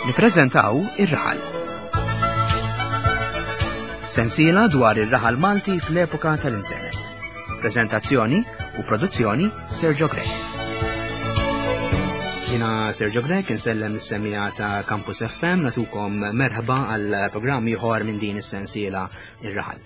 Nippreżentaw ir-raħal. Sensiela dwar ir-raħal Malti fl-epoka tal-internet. Prezentazzjoni u produzzjoni Sergio Grech. Jina Sergio Grech insellem is-semija ta' Campus FM natukom merħba għal programm ieħor minn din is-sensiela ir-raħal.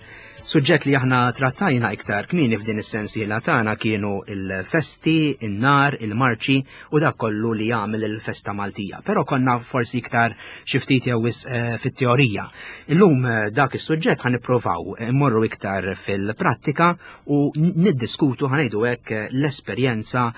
Suġġett li aħna trattajna iktar kmieni f'din is-sensiela tagħna kienu il-festi, in-nar, il-marċi u dak kollu li jagħmel il-festa Maltija. Però konna forsi iktar xi ftit jew wisq eh, fit-teorija. Illum eh, dak is-suġġett ħa nipprovaw immorru iktar fil-prattika u niddiskutu ħanejdu hekk eh, l-esperjenza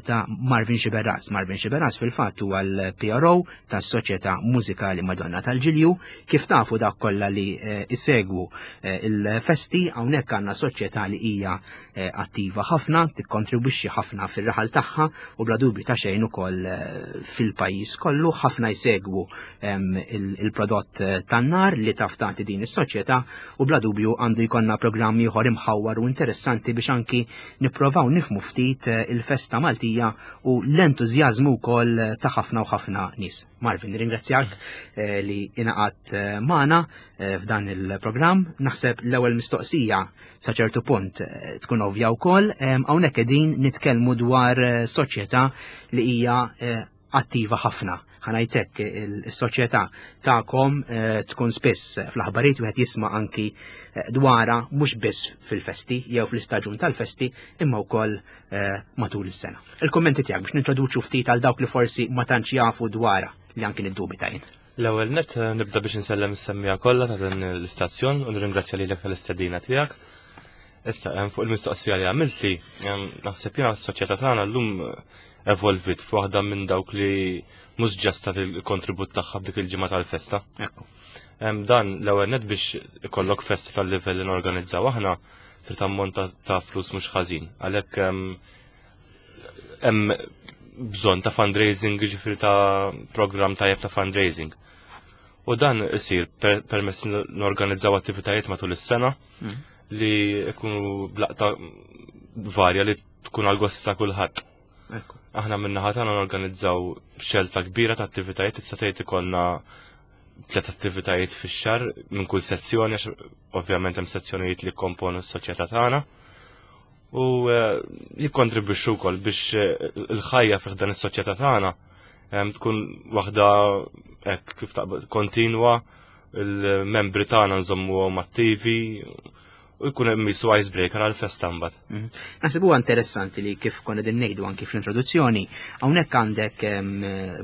ta' Marvin Xiberras. Marvin Xiberras fil-fatt huwa l-PRO tas-Soċjetà Mużikali Madonna tal-Ġilju. Kif tafu dak kollha li eh, isegwu eh, il-festi hawnhekk għandna soċjetà li hija eh, attiva ħafna, tikkontribwixxi ħafna fir-raħal tagħha u bla dubju ta' xejn ukoll fil-pajjiż kollu ħafna jsegwu ehm, il-prodott tan-nar li taf tagħti din is-soċjetà u bla dubju għandu jkollna programm ieħor imħawwar u interessanti biex anki nipprovaw nifmu ftit il-festa Maltija u l-entużjażmu wkoll ta' ħafna u ħafna nies. Marvin, ringrazzjak eh, li inaqat eh, magħna eh, f'dan il-programm. Naħseb l-ewwel mistoqsija sa ċertu punt tkun ovvja wkoll, hawnhekk qegħdin nitkellmu dwar soċjetà li hija attiva ħafna. Ħanajtek il-soċjetà tagħkom tkun spiss fl-aħbarijiet wieħed jisma' anki dwara mhux biss fil-festi jew fl-istaġun tal-festi imma wkoll Eh, matul is-sena. Il-kummenti tiegħek biex nintroduċu ftit għal dawk li forsi ma tantx jafu dwarha li anki niddubita jien. L-ewwel net eh, nibda biex insellem is-semmija kollha ta' dan l-istazzjon u nirringrazzja lilek tal-istedina tiegħek. Issa hemm fuq il-mistoqsija li għamiltli, naħseb jiena s-soċjetà tagħna llum eh, evolvit f'waħda minn dawk li mhux ġasta il-kontribut tagħha f'dik il-ġimgħa tal-festa. Ekku. Dan l-ewwel net biex ikollok festa tal-livell li norganizzaw aħna trid ammont ta' flus mhux ħażin. Għalhekk hemm bżonn ta' fundraising, ġifieri ta' programm tajjeb ta' fundraising. U dan isir permezz norganizzaw attivitajiet matul is-sena mm. li jkunu blaqta varja li tkun għal gost ta' kulħadd. Aħna minna tagħna norganizzaw xelta kbira ta' attivitajiet issa tgħid ikollna tliet attivitajiet fix-xahar minn kull sezzjoni għax ovvjament hemm sezzjonijiet li komponu s-soċjetà tagħna u eh, jikkontribwixxu wkoll biex eh, il-ħajja fih dan is-soċjetà tagħna eh, tkun waħda hekk kif taqbad kontinwa il-membri tagħna nżommuhom attivi u jkun hemm jisu icebreaker għal festa mbagħad. Mhm. Naħseb huwa interessanti li kif konna din ngħidu anki fl-introduzzjoni, hawnhekk għandek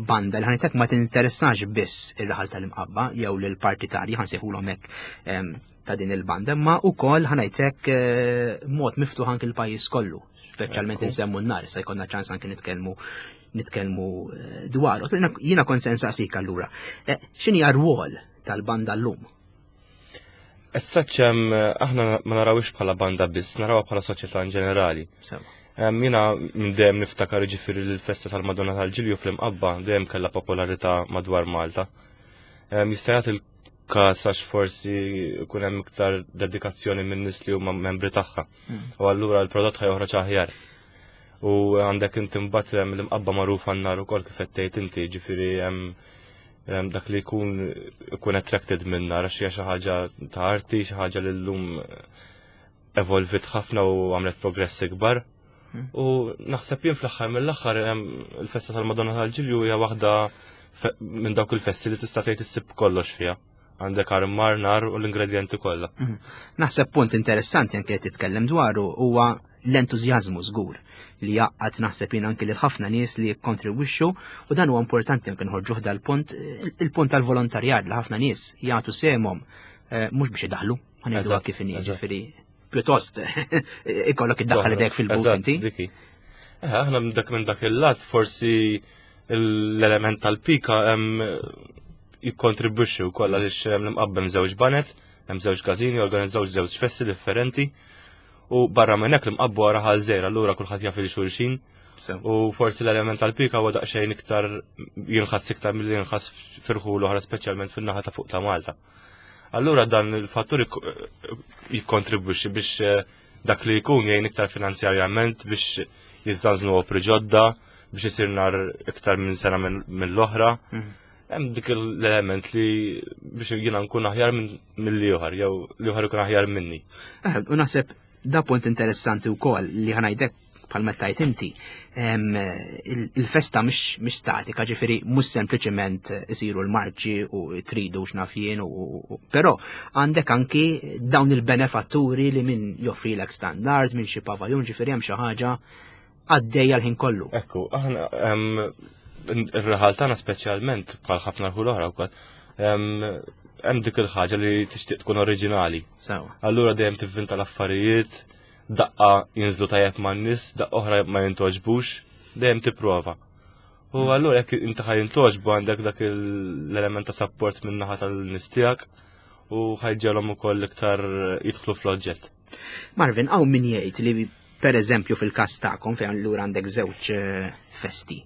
banda li ħanitek ma tinteressax biss ir-raħal tal-imqabba jew lil partitarji ħansejħulhom hekk ta' din il-banda, imma wkoll ħanajtek eh, mod miftuħ anki l-pajjiż kollu, speċjalment insemmu n-nar, se jkollna ċans anki nitkellmu nitkellmu eh, dwaru. Jiena kont se nsaqsik allura, eh, x'inhi rwol tal-banda llum? As such, aħna ma narawix bħala banda biss, narawha bħala soċjetà in ġenerali. Jiena minn dejjem niftakar ġifieri l-festa tal-Madonna tal-Ġilju fl-Imqabba dejjem kellha popolarità madwar Malta. Jista' jagħti l-każ għax forsi jkun hemm iktar dedikazzjoni minn nies li huma membri tagħha. Mm. U allura l-prodott ħajoħroġ aħjar. U għandek inti mbagħad l-imqabba magħrufa n-nar ukoll kif qed tgħid inti, ġifieri hemm dak li jkun ikun attracted minna għax hija xi ħaġa ta' arti, xi ħaġa li llum evolvit ħafna u għamlet progress ikbar. Hmm. U naħseb jien fl-aħħar mill-aħħar il-festa tal-Madonna tal-Ġilju hija waħda minn dawk il-festi li tista' tgħid issib kollox fiha. Għandek armar, nar u l-ingredjenti kollha. Hmm. Naħseb punt interessanti anke titkellem dwaru huwa l-entużjażmu żgur li jgħaqqad naħseb jien anki lil ħafna nies li jikkontribwixxu u dan huwa importanti anke nħorġuh dal-punt il-punt tal-volontarjat li ħafna nies jagħtu sehemhom eh, mhux biex idaħlu, ħanejdu kif inhi, ġifieri pjuttost ikollok iddaħħal idek fil-but inti. Eh, aħna minn dak minn dak il-lat forsi l-element tal-pika jikkontribwixxi wkoll għaliex hemm l-imqabbem żewġ banet, hemm żewġ każini, organizzaw żewġ festi differenti. U barra minn hekk l-imqabbu wara ħal żejr, allura kulħadd jaf il-xulxin. U forsi l-element tal-pika huwa daqsxejn iktar jinħass iktar milli jinħass firħu l-oħra speċjalment fin-naħa ta' fuq ta' Malta. Allura dan il-fattur jikkontribwixxi biex eh, dak li jkun jgħin iktar finanzjarjament biex jiżżanżnu opri ġodda, biex isir nar iktar minn sena mill-oħra. Mhm. Hemm dik l-element li biex jiena nkun aħjar mill ieħor jew li ieħor ikun aħjar minni. Eh, u naħseb da punt interessanti wkoll li ħanajdek bħal meta tajt inti, il-festa mhix statika, ġifieri mhux sempliċement isiru l-marċi u tridu x'naf jien u però għandek anki dawn il-benefatturi li min joffrilek standard, minn xi pavaljun, ġifieri hemm xi ħaġa għaddejja l-ħin kollu. Ekku, aħna ir-raħal tagħna speċjalment bħal ħafna rħul oħra wkoll, hemm dik il-ħaġa li tixtieq tkun oriġinali. Sewa. Allura dejjem tivvinta l-affarijiet, daqqa jinżlu tajjeb man-nies, daqqa oħra ma jintoġbux, dejjem tipprova. U allura jekk inti ħa jintoġbu għandek dak l-element ta' support minn naħa tal-nies tiegħek u ħajġelhom ukoll iktar jidħlu fl-oġġett. Marvin, hawn min jgħid li per eżempju fil-każ tagħkom fejn allura għandek żewġ eh, festi.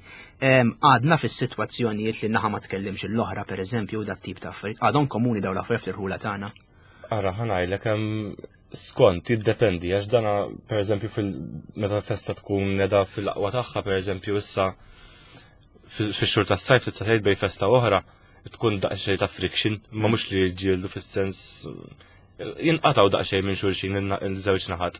Għadna fis-sitwazzjonijiet li naħa ma tkellimx l-oħra per eżempju dat tip ta' affarijiet. Għadhom komuni dawn l-affarijiet fl-irħula tagħna. Ara ħanajlek hemm skont jiddependi għax dana per eżempju fil meta festa tkun neda fil-aqwa tagħha per eżempju issa fix-xhur tas-sajf tista' tgħid bej festa oħra tkun daqsxejn ta' friction, ma mhux li jiġġieldu fis-sens jinqatgħu daqsxejn minn xulxin il-żewġ naħat.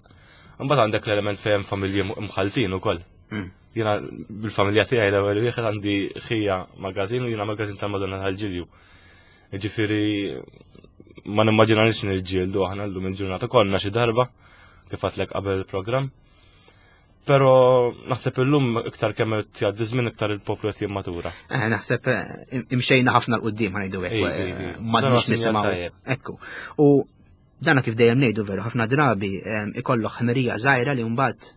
Imbagħad għandek l-element fejn familji mħaltin ukoll. Hmm. Jiena bil-familja tiegħi l-ewwel wieħed għandi ħija magażin u jiena magażin tal-Madonna tal-Ġilju. Ġifieri ma nimmaġinanix niġġieldu aħna llum il-ġurnata konna xi darba kif għatlek qabel il-programm. Pero naħseb illum iktar kemm qed jgħaddi żmien iktar il-poplu qed jimmatura. Eh, naħseb eh, imxejna ħafna l qudiem ħanejdu hekk. Eh, m'għadniex nisimgħu. Ekku. U dana kif dejjem ngħidu veru ħafna drabi ikollok ħmerija żgħira li mbagħad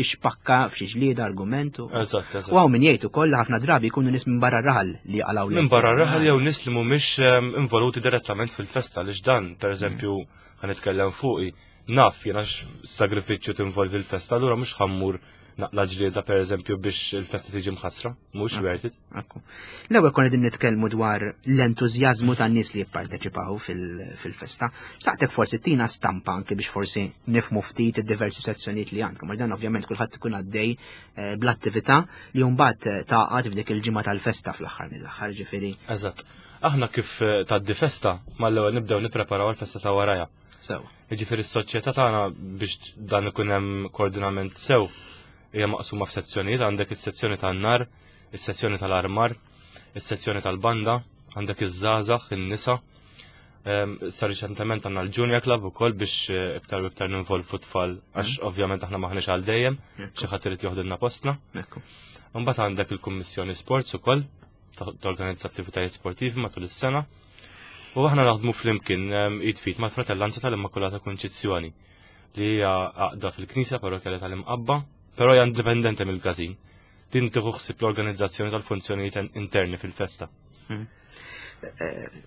tixpakka f'xi ġlieda argument. Eżatt, eżatt. U hawn min jgħid ukoll ħafna drabi jkunu nies minn barra raħal li jaqalgħu. Minn barra raħal jew nies li mhumiex involuti direttament fil-festa għaliex dan, pereżempju, ħanitkellem fuqi Naf jiena x'sagrifiċċju tinvolvi l-festa, allura mhux ħammur naqla ġlieda pereżempju biex il-festa tiġi mħassra, mhux worth it. L-ewwel konna din nitkellmu dwar l-entużjażmu tan-nies li jipparteċipaw fil-festa. Xtaqtek forsi tina stampa anke biex forsi nifmu ftit id-diversi sezzjonijiet li għandkom. Għax dan ovvjament kulħadd ikun għaddej eh, bl-attività li mbagħad eh, taqgħad f'dik il-ġimgħa tal-festa fl-aħħar mill-aħħar ġifieri. Eżatt. Aħna kif eh, tgħaddi festa mal-ewwel nibdew nippreparaw għall-festa ta' warajha. Sew. Jiġifieri s-soċjetà tagħna biex dan ikun hemm koordinament sew hija maqsuma f'sezzjonijiet għandek is-sezzjoni tan-nar, is-sezzjoni tal-armar, is-sezzjoni tal-banda, għandek iż-żgħażagħ, in-nisa. Ehm, sa riċentement għandna l-Junior Club ukoll biex eh, iktar u iktar ninvolvu tfal għax mhm. ovvjament aħna maħniex għal dejjem, xi ħadd irid joħdilna postna. Imbagħad għandek il-Kummissjoni Sports ukoll torganizza attivitajiet sportivi matul is-sena. U aħna naħdmu flimkien ehm, id fit mal-Fratellanza tal-Immakulata Kunċizzjoni li hija għaqda fil-Knisja Parrokjali tal-Imqabba, però hija indipendenti mill-każin. Din tieħu ħsieb l-organizzazzjoni tal-funzjonijiet interni fil-festa. Hmm. Eh,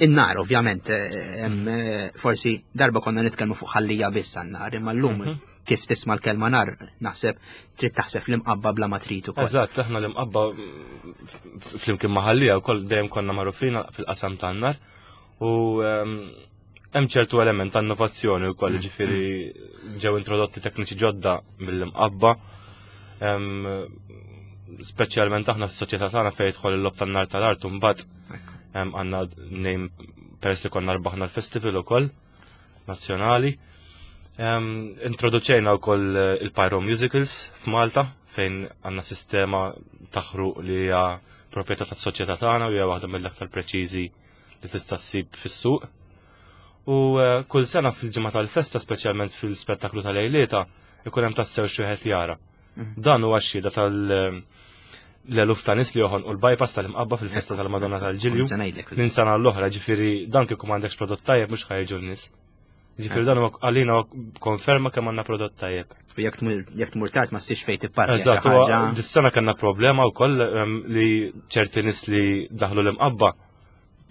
in-nar, ovvjament, eh, eh, forsi darba konna nitkellmu fuq ħallija biss għan-nar, imma llum mhm. kif tisma' l-kelma nar, naħseb trid taħseb l-imqabba bla ma trid ukoll. Eżatt, aħna l-imqabba flimkien ma' ħallija wkoll dejjem konna magħrufin fil-qasam tan-nar u hemm ċertu element ta' innovazzjoni wkoll, mm. ġifieri ġew introdotti tekniċi ġodda mill-imqabba. Speċjalment aħna fis-soċjetà tagħna fejn jidħol il-lob tan-nar tal-art u mbagħad għandna nejn peress li konna rbaħna l-festival ukoll nazzjonali. Introduċejna wkoll eh, il-Pyro Musicals f'Malta fejn għandna sistema taħruq li hija proprjetà tas-soċjetà tagħna u hija waħda mill-aktar preċiżi li tista' ssib fis-suq. U eh, kull sena fil-ġimgħa tal-festa, speċjalment fil-spettaklu tal-lejlieta, ikun hemm tassew xi wieħed jara. Mhm. Dan huwa xhieda tal- eh, l-eluf ta' nis li joħon u l-bypass tal-imqabba fil-festa tal-Madonna tal-Ġilju. Minn sena l-oħra, ġifieri dan kieku m'għandekx prodott tajjeb mhux ħajġu n-nies. Ġifieri dan huwa għalina konferma kemm għandna prodott tajjeb. U jekk tmur tard ma ssirx fejn tipparkja. Eżatt, dis-sena kellna problema wkoll ehm, li ċerti nies li daħlu l-imqabba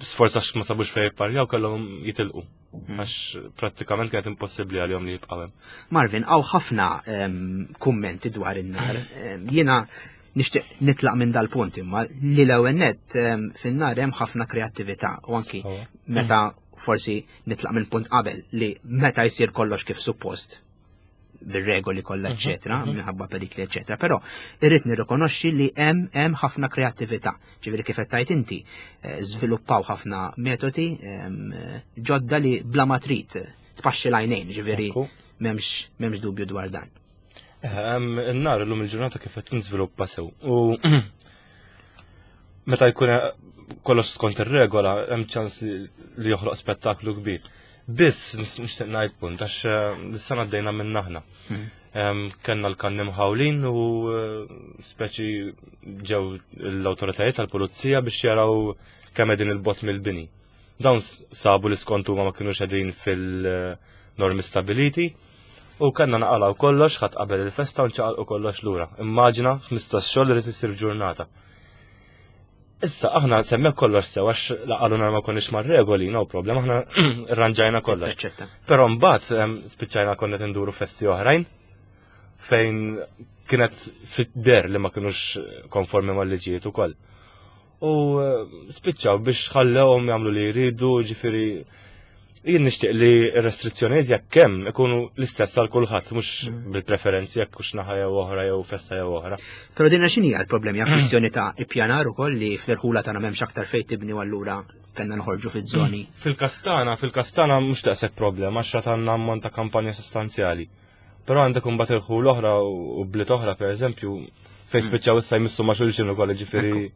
sforz għax ma sabux fejn jipparjaw kellhom jitilqu. Hmm. Għax prattikament kienet impossibbli għalihom li jibqgħu hemm. Marvin, hawn ħafna ehm, kummenti dwar in-nar. Ehm, jiena nixtieq nitlaq minn dal-punt imma li l-ewwel nett fin-nar hemm ħafna kreattività u anki meta forsi nitlaq minn punt qabel li meta jsir kollox kif suppost. bir-regoli kollha eċetera, minħabba perikli eċetera, però irrid nirrikonoxxi li hemm hemm ħafna kreattività. Ġifieri kif qed tgħid inti, eh, żviluppaw ħafna metodi ġodda li bla ma trid tpaxxi l-għajnejn, ġifieri m'hemmx m'hemmx dubju dwar dan. Eh, in-nar illum il-ġurnata kif qed niżviluppa sew. U meta jkun kollox skont ir-regola hemm ċans li joħloq spettaklu kbir. Biss nixtieq ngħid punt għax eh, l-sena għaddejna minn aħna. Hmm. Kellna l-kanni mħawlin u eh, speċi ġew l-awtoritajiet tal-pulizija biex jaraw kemm qegħdin il-bot mill-bini. Dawn sabu li skont huma ma kinux qegħdin fil-normi stabiliti u kellna naqalgħu kollox ħadd qabel il-festa u nċaqalqu kollox lura. Immaġina 15 xogħol li isir ġurnata. Issa aħna semmek kollox sew għax laqaluna ma konniex mar-regoli, no problem, aħna rranġajna kollox. Però mbagħad spiċċajna konna tinduru festi oħrajn fejn kienet fid-der li ma kinux konformi mal-liġijiet ukoll. U eh, spiċċaw biex ħallewhom jagħmlu li jridu, ġifieri jien nixtieq li restrizzjonijiet jekk hemm ikunu l-istess għal kulħadd mhux mm. bil-preferenzi jekk hux naħa jew oħra jew festa jew oħra. Però dinna x'inhi l-problemi hija kwistjoni ta' ippjanar ukoll li fl-irħula tagħna m'hemmx aktar fejn tibni u allura kellna noħorġu fiż-żoni. Mm. Fil-Kastana, fil-Kastana mhux daqshekk problema għax għandna ammont ta' kampanja sostanzjali. Però għandek imbagħad irħul oħra u bliet oħra pereżempju fejn mm. spiċċaw issa jmissu ma' xulxin ukoll ġifieri.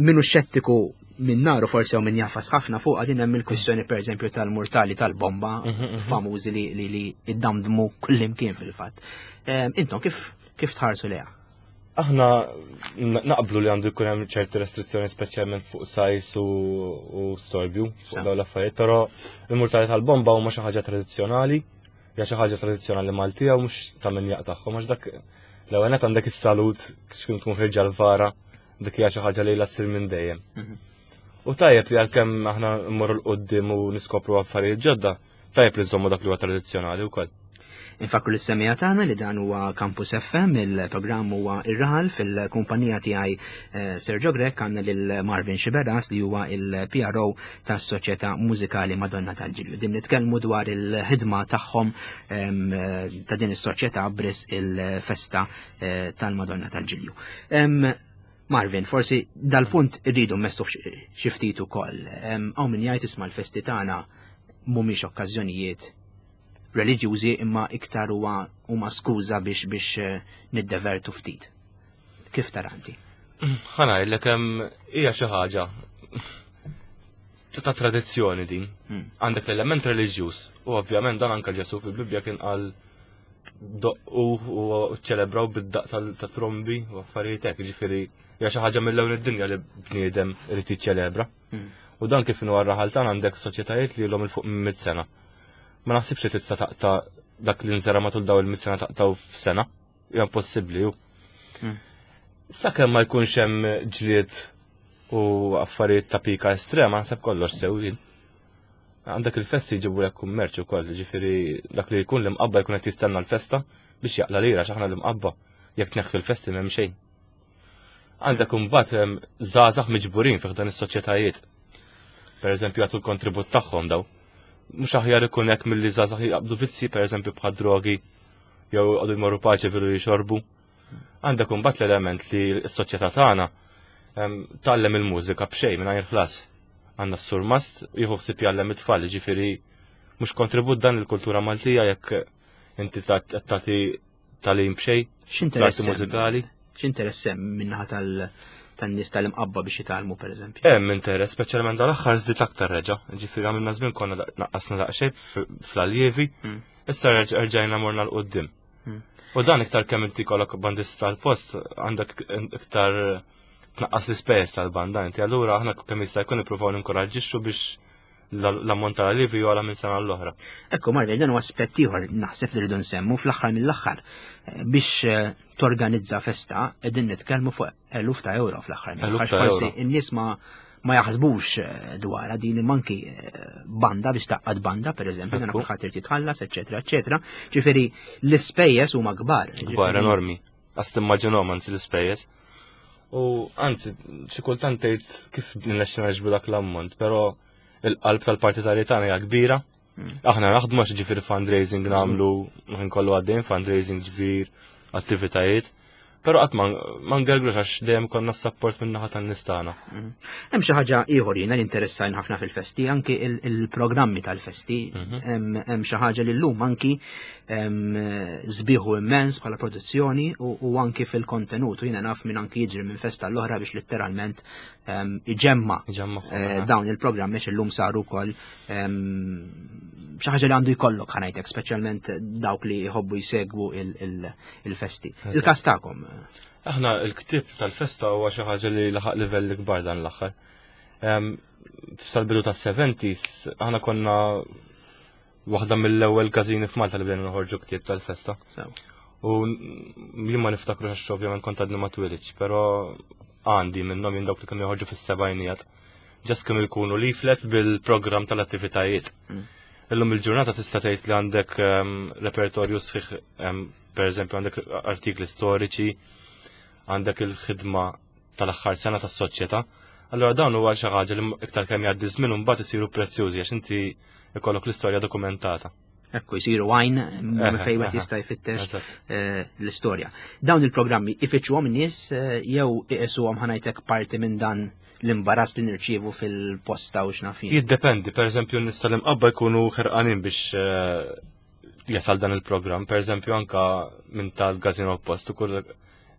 Minu xettiku minn naru forsi u minn jafas ħafna fuq din hemm il-kwistjoni pereżempju tal-murtali tal-bomba mhm, mhm. famużi li li li iddamdmu kullimkien fil-fatt. Intom kif kif tħarsu leha? Aħna naqblu li għandu jkun hemm ċerti restrizzjoni speċjalment fuq sajs u storbju fuq dawn l-affarijiet, però il-murtali tal-bomba huma xi ħaġa tradizzjonali, hija xi ħaġa tradizzjonali Maltija u mhux ta' min jaqtagħhom għax dak l-ewwel nett għandek is-salut x'kien tkun ħirġa l-vara, dik hija xi ħaġa li ssir minn dejjem. Mhm. U tajjeb li għalkemm aħna mmorru l-qudiem u niskopru affarijiet ġodda, Tajjeb li nżommu dak li huwa tradizzjonali wkoll. Infakru lis-semija tagħna li dan huwa Campus FM, il-programm huwa ir-raħal fil-kumpanija tiegħi eh, Sergio Grech għandna lil Marvin Xiberas li huwa il-PRO tas-Soċjetà Mużikali Madonna tal-Ġilju. Din nitkellmu dwar il-ħidma tagħhom eh, ta' din is-soċjetà bris il-festa eh, tal-Madonna tal-Ġilju. Marvin, forsi dal-punt irridu mmestu xi ftit ukoll. Hawn min jgħid isma' l-festi tagħna mhumiex okkażjonijiet reliġjużi imma iktar huwa huma skuża biex biex eh, niddevertu ftit. Kif taranti? Ħa ngħidlek hemm hija xi ħaġa ta' tradizzjoni din. Hmm. Għandek l-element reliġjuż u ovvjament dan anke Ġesu fil-Bibbja kien qal doqqu u ċelebraw bid-daq ta' trombi u affarijiet hekk, ġifieri hija xi ħaġa mill-ewwel id-dinja li bniedem irid jiċċelebra. Hmm. U dan kif inhu għar-raħal tagħna għandek soċjetajiet li ilhom il fuq minn mit sena. Ma naħsibx li tista' taqta' dak li nżera matul daw il-mit sena taqtaw f'sena. Hija impossibbli hu. Hmm. Sakemm ma jkunx hemm ġlied u affarijiet ta' pika estrema, naħseb kollox sew jien. Għandek il-festi jġibu lek kummerċ ukoll, ġifieri dak li jkun l-imqabba jkun qed jistenna l-festa biex jaqla lira x'aħna l-imqabba jekk tneħħi l-festi m'hemm xejn. Għandek imbagħad żgħażagħ miġburin fih dan is-soċjetajiet. Per eżempju jagħtu l-kontribut tagħhom daw. Mhux aħjar ikun hekk milli żgħażagħ jaqbdu vizzi pereżempju bħad drogi jew għadu jmorru paċi vilu jixorbu. Għandek imbagħad l-element li s-soċjetà tagħna tgħallem il-mużika b'xejn mingħajr ħlas. Għandna s-surmast jieħu ħsieb jgħallem it-tfal, ġifieri mhux kontribut dan il-kultura Maltija jekk inti tagħti tagħlim b'xejn. X'interess mużikali? X'interess hemm minnaħa tal- tan-nies tal-imqabba biex jitgħallmu pereżempju. Hemm interess, speċjalment dal-aħħar żdied aktar reġa'. Ġifieri għamilna żmien konna naqqasna daqsxejn fl-aljievi, hmm. issa rġajna morna l-qudiem. Hmm. U dan iktar kemm inti kollok bandista tal-post għandek iktar tnaqqas l-ispejjeż tal-banda inti allura aħna kemm jista' jkun nippruvaw ninkoraġġixxu biex l-ammont tal-alivi jola minn sena l-oħra. Ekku, Marvel, dan huwa aspett ieħor naħseb li rridu nsemmu fl-aħħar mill-aħħar eh, biex eh, torganizza festa qegħdin nitkellmu fuq eluf ta' euro fl-aħħar mill-aħħar. Forsi n-nies ma ma jaħsbux eh, dwarha din manki eh, banda biex taqqad banda, per eżempju, dan kulħadd irid jitħallas, eċetera, eċetera. Ġifieri l-ispejjeż huma kbar. Kbar enormi. Għas timmaġinhom anzi l-ispejjeż. U anzi, xi kultant tgħid kif nilexxi naġbu dak l-ammont, però il-qalb tal-partitarji tagħna hija kbira. Aħna naħdmu għax ġifieri fundraising nagħmlu ħin kollu għaddejn fundraising ġbir, attivitajiet. Però qatt ma ngergrux għax dejjem konna s-sapport minn naħa tan-nies tagħna. Mhm. Hemm xi ħaġa ieħor jiena li interessajn ħafna fil-festi, anki il-programmi tal-festi. Mhm. Hemm xi ħaġa li llum anki żbieħu immens bħala produzzjoni u anki fil-kontenut. U jiena naf minn anki jiġri minn festa l-oħra biex letteralment iġemma eh, dawn il-programmi illum saru wkoll xi ħaġa li għandu jkollok ħanajtek, speċjalment dawk li jħobbu jsegwu il-festi. Il-każ tagħkom. Aħna il-ktib tal-festa huwa xi ħaġa li laħaq livell kbar dan l-aħħar. Sal-bidu tas-70s aħna konna waħda mill-ewwel każini f'Malta li bdejna noħorġu ktieb tal-festa. U jien ma niftakru għax ovvjament kont għadni ma twilidx, però għandi minnhom jien dawk li kienu joħorġu fis-sebgħinijat. Ġas kienu jkunu leaflet bil-programm tal-attivitajiet. Mm. Illum il-ġurnata tista' tgħid li għandek ehm, repertorju sħiħ, ehm, pereżempju għandek artikli storiċi, għandek il-ħidma tal-aħħar sena tas-soċjetà. Allura dawn huwa xi ħaġa li iktar kemm jgħaddi żmien imbagħad isiru prezzjużi għax inti ikollok l-istorja dokumentata. Ekku jisiru għajn minn fejn wieħed jista' jfittex eh, l-istorja. Dawn il-programmi ifittxuhom in-nies eh, jew iqisuhom ħanajtek parti minn dan l-imbarazz li nirċievu fil-posta u x'naf jien. Jiddependi, pereżempju n-nies tal-imqabba jkunu ħerqanin biex eh, jasal dan il-programm, pereżempju anka minn tal-gazin oppost ukoll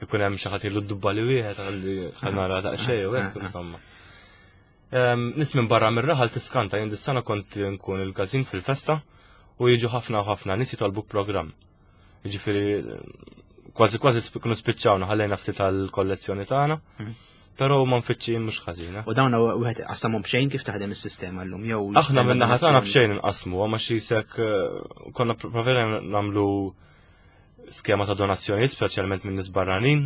ikun hemm xi ħadd ilu dubba li wieħed għalli ħanara daqsxejn u hekk insomma. Nis minn barra mir-raħal tiskanta jien dis-sena kont nkun il-każin fil-festa u jiġu ħafna u ħafna nies jitolbu programm. Jiġifieri kważi kważi kunu spiċċawna ħallejna ftit tal-kollezzjoni tagħna. Mhm. Però ma nfittxin mhux ħażina. U dawn wieħed qasamhom b'xejn kif taħdem is-sistema llum jew Aħna minn naħa tagħna b'xejn inqasmu, ma xi sek eh, konna provera nagħmlu skema ta' donazzjonijiet, speċjalment minn nies barranin,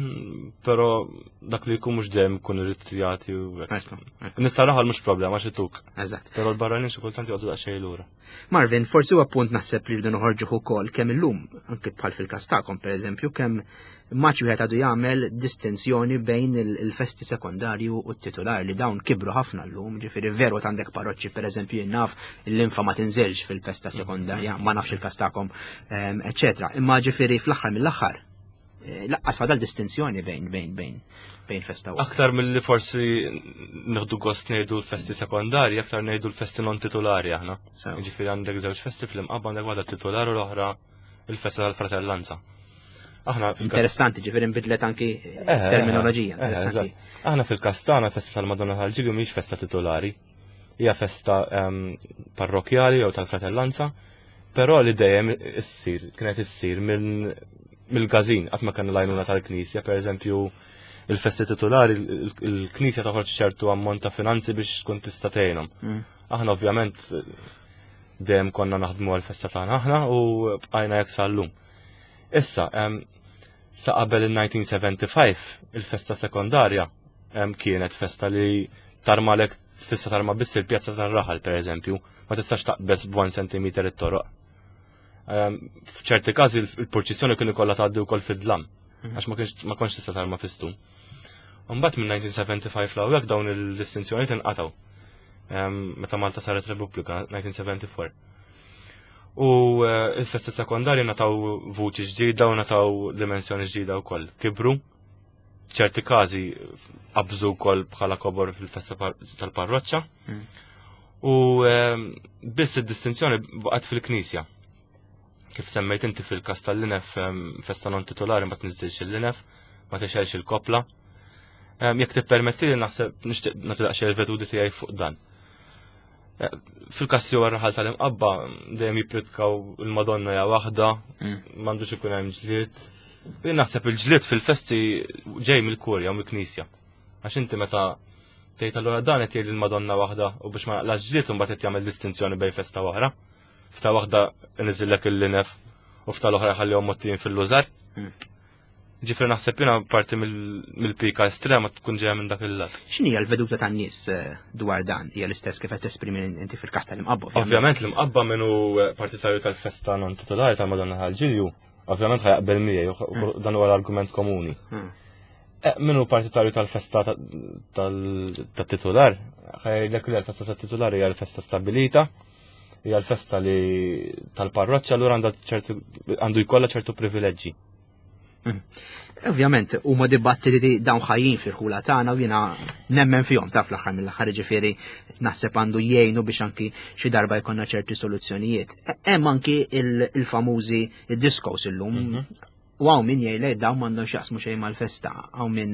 però dak li jkun mhux dejjem ikun irid jagħti u hekk. Nista' raħal mhux problema xi tuk. Eżatt. Però l-barranin xi kultant joqogħdu daqsxejn lura. Marvin, forsi huwa punt naħseb li rridu noħorġuh ukoll kemm illum, anke bħal fil-każ tagħkom pereżempju, kemm maċ wieħed għadu jagħmel distinzjoni bejn il-festi sekondarju u t-titular li dawn kibru ħafna llum, ġifieri veru għandek parroċċi pereżempju jien naf l-infa ma tinżilx fil-festa sekondarja, ma nafx il-każ tagħkom, ehm, eċetera. Imma ġifieri fl-aħħar mill-aħħar eh, laqqas fadal distinzjoni bejn bejn bejn bejn festa u. Aktar mill-li forsi nieħdu gost ngħidu l-festi sekondarji, aktar ngħidu l-festi non titolari aħna. Ġifieri għandek żewġ festi fl-imqabba għandek waħda titolari u l-oħra il-festa tal-fratellanza. Aħna Interessanti, ġifieri nbidlet anki eh, eh, terminoloġija. Eh, interessanti. Aħna fil-Kastana festa tal-Madonna tal-Ġilju mhix festa titolari. Hija festa ehm, parrokjali jew tal-fratellanza, però li dejjem issir, kienet issir mill-każin qatt ma kellna l-għajnuna tal-Knisja, pereżempju il-festi titolari il-Knisja toħroġ ċertu ammont ta' finanzi biex tkun tista' tgħinhom. Mm. Aħna ovvjament dejjem konna naħdmu għal-festa tagħna aħna u bqajna jekk sal-lum. Issa, sa qabel il-1975 il-festa sekondarja kienet festa li tarmalek tista' tarma biss il-pjazza tar-raħal pereżempju, ma tistax taqbeż b'1 cm it-toroq. F'ċerti każi il-purċissjoni kien ikollha tgħaddi wkoll fid-dlam, mhm. għax ma kontx tista' tarma fistum. Mbagħad minn 1975 l dawn il-distinzjoni inqatgħu. Meta Malta saret Repubblika 1974. U eh, il-festi sekondarji nataw vuċi ġdida u nataw dimensjoni ġdida wkoll. Kibru, ċerti każi qabżu wkoll bħala kobor fil-festa tal-parroċċa. Hmm. U biss id-distinzjoni baqgħet fil-knisja. Kif semmejt inti fil-kas tal-linef festa non titolari ma tniżilx il-linef, ma tixelx il-kopla. Jekk tippermetti li naħseb nixtieq nagħti daqsxejn il-vedudi tiegħi fuq dan. Eh, fil-kas jew raħal tal-imqabba dejjem jippritkaw il-Madonna ja waħda, mm. m'għandux ikun hemm ġlied. Jien naħseb il-ġlied fil-festi ġej mill-kurja u mill-knisja. Għax inti meta tgħid allura dan qed jgħid il-Madonna waħda u biex ma naqlax ġlied imbagħad qed jagħmel distinzjoni bejn festa oħra. Fta waħda niżillek il-linef u fta l-oħra ħallihom mottijin fil-lużar. Hmm. Ġifri naħseb jiena parti mill-pika estrema tkun ġejja minn dak il-lat. X'inhi l-veduta tan-nies eh, dwar dan? Hija l-istess kif qed tesprimi inti fil-każ tal-imqabba. Ovvjament l-imqabba minnu eh, partitarju tal-festa non titolari tal-Madonna tal-Ġilju, ovvjament ħajaqbel miegħi, hmm. dan huwa l-argument komuni. Hmm. Eh, minnu partitarju tal-festa tat-titular, ħajlek li l-festa tat-titular hija l-festa stabilita. Hija l-festa li tal-parroċċa allura għandha ċertu għandu jkollha ċertu privileġġi. Ovvjament, huma dibattiti li dawn ħajjin fil-ħula tagħna u jiena nemmen fihom taf l-aħħar mill-aħħar ġifieri naħseb għandu jgħinu biex anki xi darba jkollna ċerti soluzzjonijiet. Hemm anki il-famużi discos illum. U hawn min jgħidlek dawn m'għandhom x'jaqsmu xejn mal-festa, hawn min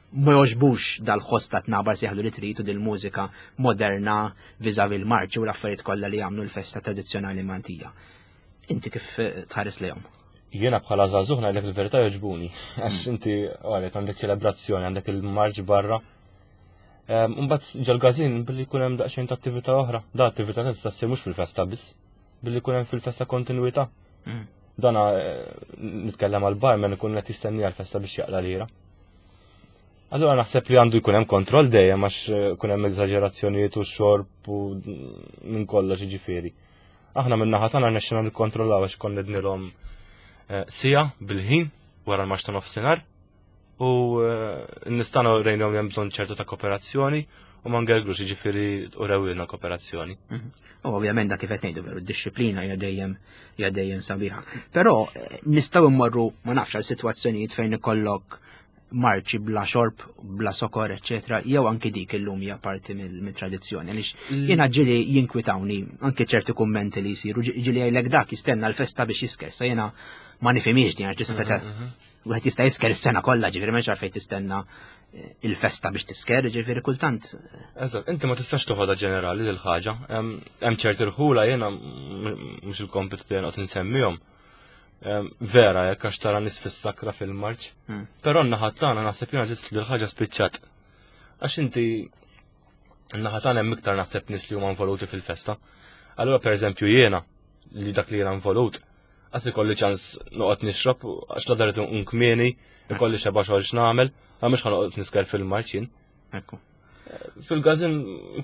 ma jogħġbux dal-ħoss ta' tnabar seħlu li trid u dil-mużika moderna viżavi l-marċi u l-affarijiet kollha li jagħmlu l-festa tradizzjonali Maltija. Inti kif tħares lejhom? Jiena bħala żagħżugħ ngħidlek il-verità jogħġbuni. Għax inti għalet għandek ċelebrazzjoni, għandek il-marċ barra. Mbagħad ġol-każin billi jkun hemm daqsxejn ta' attività oħra. Da attività tista' ssir mhux fil-festa biss, billi jkun hemm fil-festa kontinwità. Dana nitkellem għal barman ikun qed jistenni għal-festa biex jaqla lira. Allura naħseb li għandu jkun hemm kontroll dejjem għax kun hemm eżaġerazzjonijiet u xorb u minn kollox jiġifieri. Aħna minn naħa tagħna rnexxina nikkontrollaw għax konna nednilhom sija bil-ħin wara l-marx ta' nofsinhar u nistgħu rejnhom li hemm bżonn ċertu ta' kooperazzjoni u ma ngergrux jiġifieri u rewilna kooperazzjoni. U ovvjament dak kif qed ngħidu veru d-disciplina hija dejjem sabiħa. Però nistgħu mmorru ma nafx għal sitwazzjonijiet fejn ikollok marċi bla xorb, bla sokor, eccetera, jew anki dik illum hija parti mill-tradizzjoni. Għaliex jiena ġieli jinkwitawni anki ċerti kummenti li jsiru, ġieli jgħidlek dak jistenna l-festa biex jisker, sa jiena ma nifhimiex din għax tista' wieħed jista' jisker is-sena kollha, ġifieri m'hemmx għalfejn tistenna il-festa biex tisker, ġifieri kultant. Eżatt, inti ma tistax toħodha ġenerali lil ħaġa. Hemm ċerti rħula jiena mhux il-kompitu tiegħi noqgħod insemmihom. Vera, jekk għax tara nies fis-sakra fil-marċ. Però n-naħa tagħna naħseb jiena ġist li l-ħaġa spiċċat. Għax inti n-naħa tagħna hemm iktar naħseb nies li huma involuti fil-festa. Allura pereżempju jiena li dak li jiena involut, għas ikolli ċans noqgħod nixrob għax la daret nkmieni, ikolli xeba xogħol x'nagħmel, għax mhux ħanoqgħod nisker fil-marċ jien. Fil-gazin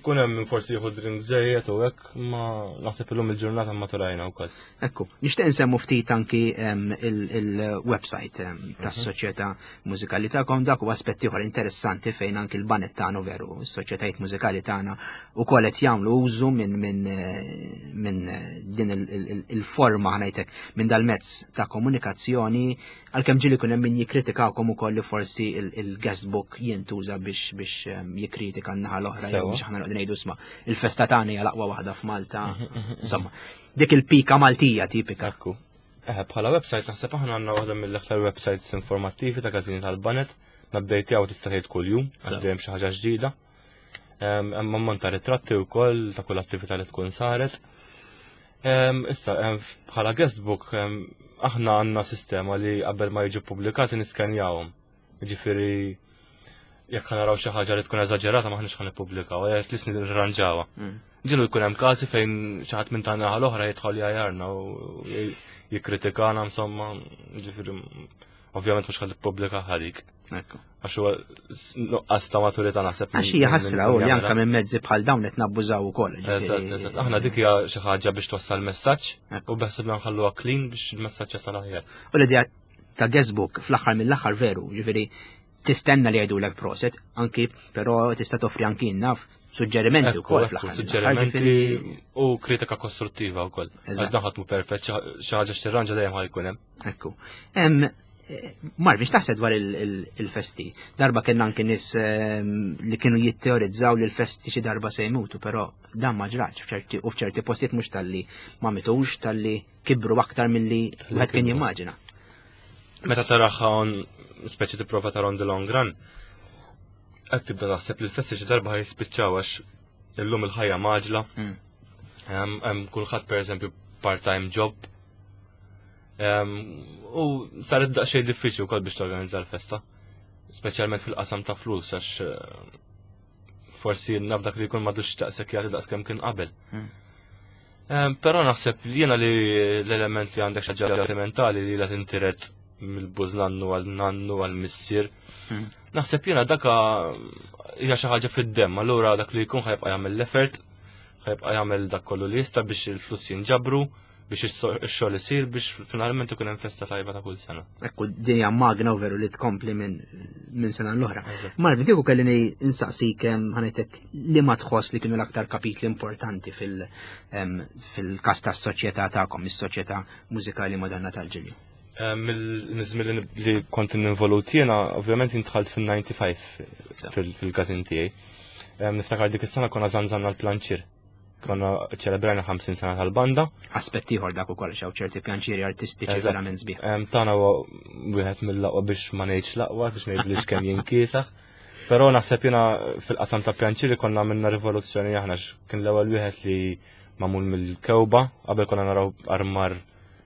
kun hemm min forsi jieħu drink żejjed u hekk, ma naħseb illum il-ġurnata maturajna wkoll. Ekku, nixtieq insemmu ftit anki il-website tas-soċjetà mużikali tagħkom, dak huwa aspett ieħor interessanti fejn anki l-banet tagħna veru, s-soċjetajiet mużikali tagħna ukoll qed jagħmlu użu minn din il-forma ħanajtek minn dal-mezz ta' komunikazzjoni, għalkemm ġieli jkun hemm min jikkritikawkom ukoll li forsi il-guestbook jintuża biex jikkritika n-naħa l-oħra jew biex aħna noqogħdu ngħidu sma' il-festa tagħna hija l-aqwa waħda f'Malta. Insomma, dik il-pika Maltija tipika. Ekku. Bħala website naħseb aħna għandna waħda mill-aktar websites informattivi ta' każini tal-Banet, nabdejtjaw tista' tgħid kuljum, għax dejjem xi ħaġa ġdida. Hemm ammont ta' ritratti wkoll ta' kull attività li tkun saret. Issa, bħala guestbook, aħna għandna sistema li qabel ma jiġu pubblikati niskenjawhom. Jiġifieri jekk naraw xi ħaġa li tkun eżaġerata maħniex ħa nippubblikaw, at least nirranġawha. Ġielu jkun hemm każi fejn xi ħadd minn tagħna l-oħra jidħol jgħajarna u jikkritikana, insomma, ġifieri ovvjament mhux ħa nippubblika ħadik. Għax huwa nuqqas ta' maturità naħseb. Għax hija ħasra u li anke minn mezzi bħal dawn qed nabbużaw ukoll, ġifieri. Eżatt, eżatt. Aħna dik hija xi ħaġa biex twassal messaġġ u beħsibna nħalluha clean biex il-messaġġ jasal aħjar. U l-idea ta' guestbook fl-aħħar mill-aħħar veru, ġifieri tistenna li jgħidulek proset, anki però tista' toffri anki naf suġġerimenti wkoll fl-aħħar mill-aħħar, Suġġerimenti ġifieri u kritika kostruttiva wkoll. Għax dan ħadd mhu perfett, xi ħaġa x'tirranġa dejjem ħajkun hemm. Ekku. Marvin, x'taħseb dwar il-festi? Darba kellna anki nies li kienu jitteorizzaw li l-festi xi darba se jmutu, però dan ma ġrax u f'ċerti postijiet mhux talli ma mitux, talli kibru aktar milli Talli wieħed kien kibru. jimmaġina. Meta taraha on speċi tipprova tara on the long run, qed tibda taħseb li l-festi xi darba ħajspiċċaw għax illum il-ħajja maġla. Hemm kulħadd pereżempju part-time job. U saret daqsxejn diffiċli wkoll biex torganizza l-festa, speċjalment fil-qasam ta' flus għax forsi naf dak li jkun m'għadux daqshekk jagħti daqs kemm kien qabel. Però naħseb li jiena li l-element li għandek xi ħaġa mentali li la tintiret mill-bużnannu għal nannu għal missier. Naħseb jiena daka hija xi ħaġa fid-demm, allura dak li jkun ħajbqa' jagħmel l-effort, ħajbqa' jagħmel dak kollu li jista' biex il-flus jinġabru, biex ix-xogħol isir biex finalment ikun hemm festa tajba ta' kull sena. Ekku din hija magna u veru li tkompli minn min sena l-oħra. Marvin, kieku kelli insaqsik ħanetek li ma tħoss li kienu l-aktar kapitli importanti fil-kas tas-soċjetà tagħkom, is-soċjetà mużikali Madonna tal-Ġilju. Mill-żmien li kont involut jiena, ovvjament intħalt fil-95 fil-każin tiegħi. Niftakar dik is-sena konna żanżanna l-planċir. Konna ċelebrajna 50 sena tal-banda. Aspett ieħor dak ukoll xaw ċerti pjanċiri artistiċi verament sbieħ. Tana huwa wieħed mill-aqwa biex ma ngħidx l-aqwa biex ngħid li kemm jinkiesaħ. Però naħseb jiena fil-qasam ta' pjanċiri konna minna rivoluzzjoni aħna kien l-ewwel wieħed li magħmul mill-kewba, qabel konna naraw armar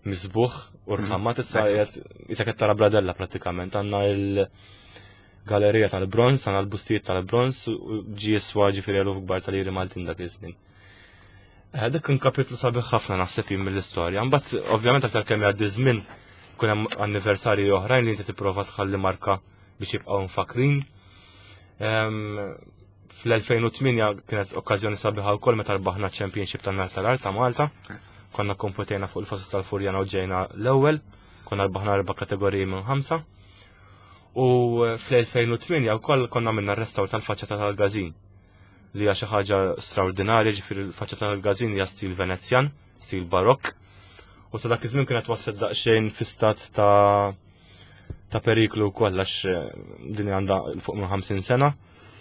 misbuħ u rħammat issa qiegħed issa qed tara bradella prattikament għandna il-galerija tal-bronz, għandna l-bustijiet tal-bronz u ġie jiswa ġifieri eluf kbar tal-liri Maltin dak iż-żmien. Eh, dak kien kapitlu sabiħ ħafna naħseb jien mill-istorja. Mbagħad ovvjament aktar kemm jgħaddi żmien kun hemm anniversarji oħrajn li inti tipprova tħalli marka biex jibqgħu mfakrin. Ehm, Fl-2008 kienet okkażjoni sabiħa wkoll meta rbaħna Championship tan-nar tal-art ta' Malta. Konna kompetejna fuq il-fosos tal-Furjana u ġejna l-ewwel, konna rbaħna erba' kategoriji minn ħamsa. U fl-2008 wkoll konna minna restawr tal-faċċata tal-Gazin li hija xi ħaġa straordinarja, ġifieri l-faċċata tal-Gazin hija stil Venezjan, stil Barokk. U sa dak iż-żmien kienet waslet daqsxejn fi stat ta' ta' periklu wkoll għax eh, din għandha fuq minn 50 sena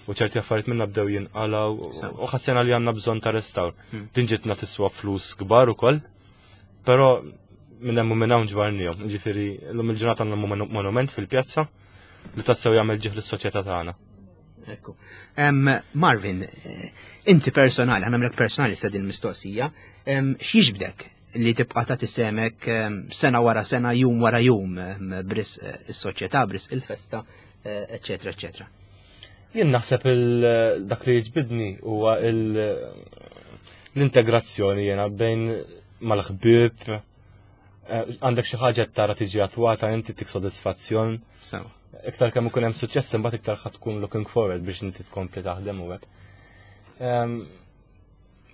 u ċerti affarijiet minna bdew jinqalaw u ħassena li għandna bżonn ta' restawr. Hmm. Din ġitna tiswa flus kbar ukoll, però minn hemm u minn hawn ġbarnihom. Ġifieri llum il-ġurnata għandna monument fil-pjazza li tassew jagħmel ġieħ lis-soċjetà tagħna. Ekku. Marvin, eh, inti personali, ħanamlek personali sa din mistoqsija, x'jiġbdek li tibqa' tagħti semek sena wara sena, jum wara jum bris eh, is-soċjetà, bris il-festa, eċetera, eh, eċetera. Jien naħseb dak li jiġbidni huwa l-integrazzjoni jiena bejn mal-ħbieb, eh, għandek xi ħaġa tara tiġi attwata inti tik sodisfazzjon. Iktar kemm ikun hemm suċċess imbagħad iktar ħadd tkun looking forward biex inti tkompli taħdem u hekk.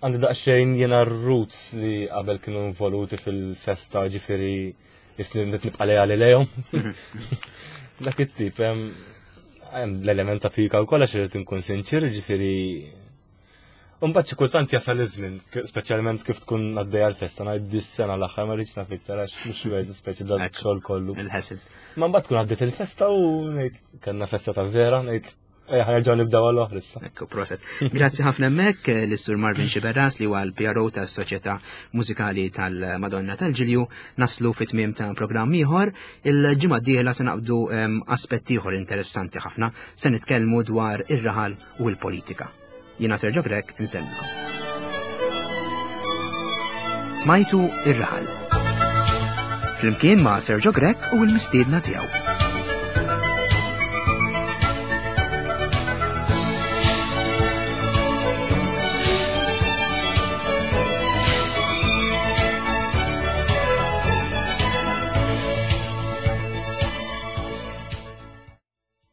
Għandi daqsxejn jiena r-roots li qabel kienu involuti fil-festa ġifieri jisni nibqa' lejali lejhom. Dak it-tip hemm l-element ta' fika wkoll għax irid inkun sinċir, ġifieri Mbagħad xi kultant jasal iż-żmien, speċjalment kif tkun għaddejja l-festa, ngħid dis-sena l-aħħar ma rridx naf iktar għax mhux wieħed speċi dan xogħol kollu. Il-ħesed. Ma mbagħad tkun għaddiet il-festa u ngħid kellna festa ta' vera, ngħid Ejja, ħanerġgħu nibdew għal oħra issa. Ekku, proset. Grazzi ħafna hemmhekk eh, lis-Sur Marvin Xiberras li huwa l-PRO tas-Soċjetà Mużikali tal-Madonna tal-Ġilju naslu fit-tmiem ta' programm ieħor. Il-ġimgħa d-dieħla se naqbdu ehm, aspett ieħor interessanti ħafna se nitkellmu dwar ir-raħal u l-politika. Jiena Sergio Grek insellmikom. Smajtu ir-raħal. Flimkien ma' Sergio Grek u l-mistiedna tiegħu.